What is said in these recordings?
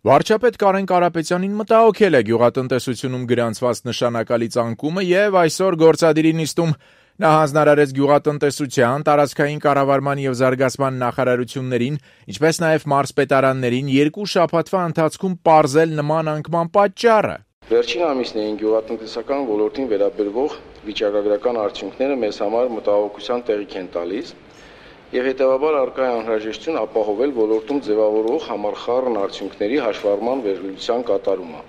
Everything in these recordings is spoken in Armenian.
Վարչապետ Կարեն Կարապետյանին մտահոգել է գյուղատնտեսությունում գրանցված նշանակալի ցանկումը եւ այսօր գործադիրի նիստում նա հանձնարարեց գյուղատնտեսության, տարածքային կառավարման եւ զարգացման նախարարություններին, ինչպես նաեւ մարզպետարաններին 2 շաբաթվա ընթացքում պարզել նման անկման պատճառը։ Վերջին ամիսներին գյուղատնտեսական ոլորտին վերաբերող վիճակագրական արդյունքները մեզ համար մտահոգության տեղիք են տալիս եւ հետեւաբար առկա է անհրաժեշտություն ապահովել ոլորտում ձևավորող համախառն արդյունքների հաշվառման վերլուծության կատարումը։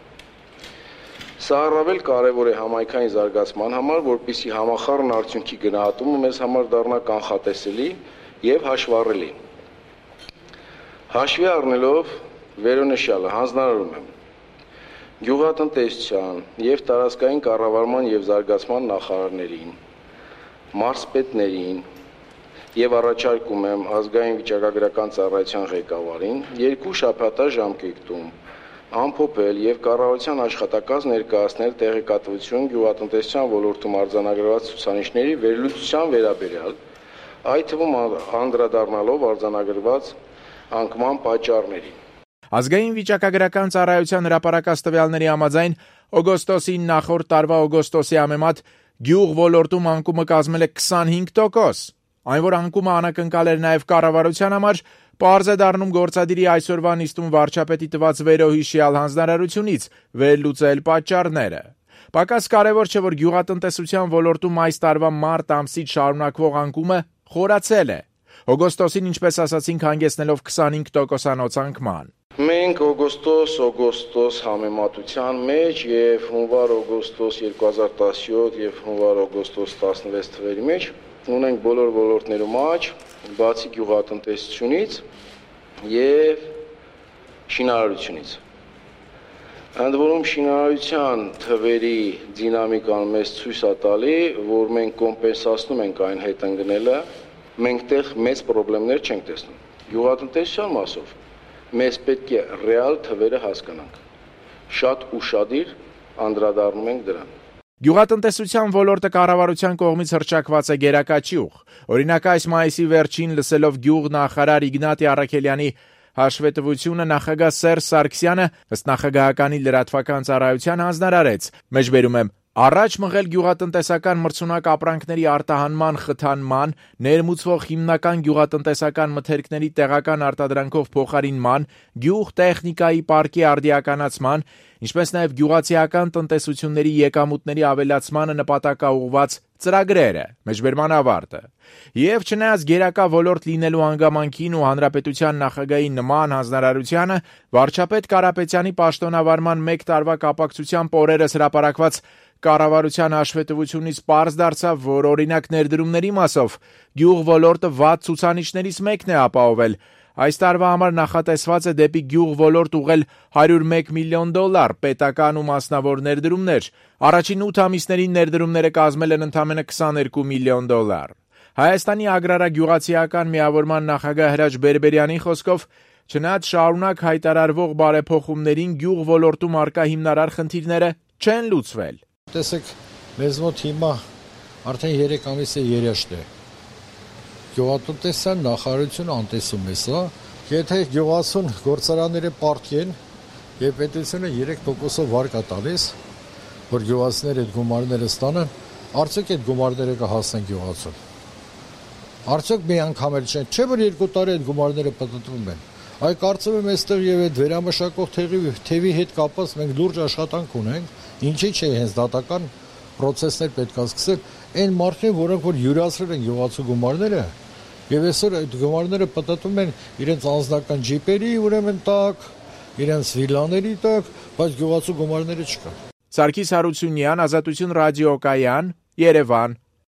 Սա առավել կարևոր է համայնքային զարգացման համար, որպեսզի համախառն արդյունքի գնահատումը մեզ համար դառնա կանխատեսելի եւ հաշվառելի։ Հաշվի առնելով վերոնշյալը հանձնարարում եմ գյուղատնտեսության եւ տարածքային կառավարման եւ զարգացման նախարարներին, մարզպետներին եւ առաջարկում եմ ազգային վիճակագրական ծառայության ղեկավարին 2 շաբաթա ժամկետում ամփոփել եւ կառավարության աշխատակաց ներկայացնել տեղեկատվություն գյուղատնտեսության ոլորտում արձանագրված ցուցանիշների վերլուծության վերաբերյալ, այդ թվում անդրադառնալով արձանագրված անկման պատճառներին։ Ազգային վիճակագրական ծառայության հրապարակած տվյալների համաձայն օգոստոսին նախորդ տարվա օգոստոսի համեմատ գյուղ ոլորտում անկումը կազմել է 25%։ Այն, որ անկումը անակնկալ էր նաև կառավարության համար, պարզ է դառնում գործադիրի այսօրվա նիստում վարչապետի տված վերոհիշյալ հանձնարարությունից վերլուծել պատճառները։ Պակաս կարևոր չէ, որ գյուղատնտեսության ոլորտում այս տարվա մարտ ամսից շարունակվող անկումը խորացել է։ Օգոստոսին, ինչպես ասացինք, հանգեցնելով 25%-անոց անկման։ Մենք օգոստոս համեմատության մեջ եւ հունվար-օգոստոս 2017 եւ հունվար-օգոստոս 16 թվերի մեջ ունենք բոլոր ոլորտներում աճ, բացի գյուղատնտեսությունից եւ շինարարությունից։ Ընդ որում շինարարության թվերի դինամիկան մեզ ցույց է տալի, որ մենք կոմպենսացնում ենք այն հետ ընկնելը, մենք տեղ մեծ խնդիրներ չենք տեսնում։ Գյուղատնտեսության մասով մեզ պետք է ռեալ թվերը հասկանանք։ Շատ ուշադիր անդրադառնում ենք դրան։ Գյուղատնտեսության ոլորտը կառավարության կողմից հռչակված է գերակա ճյուղ։ Օրինակ այս մայիսի վերջին լսելով գյուղ նախարար Իգնատի Առաքելյանի հաշվետվությունը նախագահ Սերժ Սարգսյանը ըստ նախագահականի լրատվական ծառայության հանձնարարեց։ Մեջբերում եմ առաջ մղել գյուղատնտեսական մրցունակ ապրանքների արտահանման խթանման, ներմուծվող հիմնական գյուղատնտեսական մթերքների տեղական արտադրանքով փոխարինման, գյուղ տեխնիկայի պարկի արդիականացման, ինչպես նաև գյուղացիական տնտեսությունների եկամուտների ավելացմանը նպատակաուղղված ծրագրերը, մեջբերման ավարտը։ Եվ չնայած գերակա ոլորտ լինելու հանգամանքին ու հանրապետության նախագահի նման հանձնարարությանը, վարչապետ Կարապետյանի պաշտոնավարման 1 տարվա կապակցությամբ օրերս հրապարակված կառավարության հաշվետվությունից պարզ դարձավ, որ օրինակ ներդրումների մասով գյուղ ոլորտը վատ ցուցանիշներից մեկն է ապահովել։ Այս տարվա համար նախատեսված է դեպի գյուղ ոլորտ ուղղել $101 միլիոն, պետական ու մասնավոր ներդրումներ։ Առաջին 8 ամիսներին ներդրումները կազմել են ընդամենը $22 միլիոն։ Հայաստանի ագրարագյուղացիական միավորման նախագահ Հրաչ Բերբերյանի խոսքով, չնայած շարունակ հայտարարվող բարեփոխումներին գյուղ ոլորտում առկա հիմնարար խնդիրները չեն լուծվել։ Տեսեք, մեզ մոտ հիմա արդեն 3 ամիս է երաշտ է։ Գյուղատնտեսության նախարարությունը անտեսում է սա, եթե գյուղացուն գործարանները պարտքեն եւ պետությունը 3%-ով վարկա տալիս, որ գյուղացիները այդ գումարները ստանան, արդյոք այդ գումարները կհասնեն գյուղացուն։ Արդյոք մի անգամ էլ չէ, որ 2 տարի այդ գումարները պտտվում են։ Այ կարծում եմ այստեղ եւ այդ վերամշակող թևի հետ կապված մենք լուրջ աշխատանք ունենք, ինչի՞ չէ հենց դատական process-ներ պետք է սկսել այն մարդկանց, որոնք որ յուրացրել են գյուղացու գումարները, եւ այսօր այդ գումարները պտտվում են իրենց անձնական ջիպերի, ուրեմն տակ, իրենց վիլաների տակ, բայց գյուղացու գումարները չկան։ Սարգիս Հարությունյան, Ազատություն ռադիոկայան, Երևան։